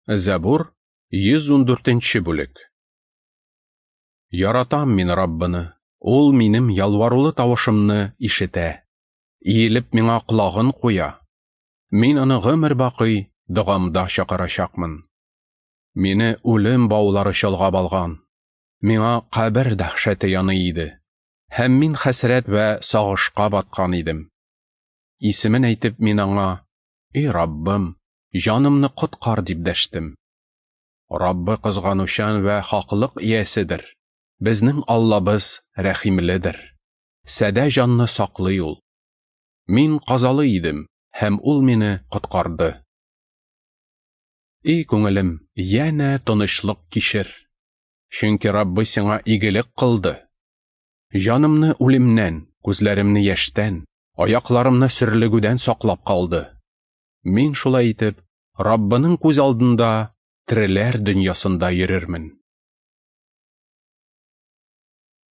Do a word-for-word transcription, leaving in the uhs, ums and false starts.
Зәбур, йөз ундүртенче бүлек. Яратам мин Раббыны, ул минем ялварулы тавышымны ишетә, иелеп миңа колагын куя. Мин аны гомер бакый догамда чакырачакмын. Мине үлем баулары чолгап алган, миңа кабер дәһшәте яный иде, һәм мин хәсрәт вә сагышка баткан идем. Исемен әйтеп мин аңа: "Эй Раббым, җанымны коткар", дип дәштем. Раббы кызганучан вә хаклык ияседер. Безнең Аллабыз рәхимледер. Садә җанны саклый ул. Мин казалы идем, һәм ул мине коткарды. Эй күңелем, янә тынычлык кичер. Чөнки Раббы сиңа игелек кылды. Җанымны үлемнән, күзләремне яшьтән, аякларымны сөрлегүдән саклап калды. Мин шулай итеп Раббының күз алдында тереләр дөньясында йөрермен.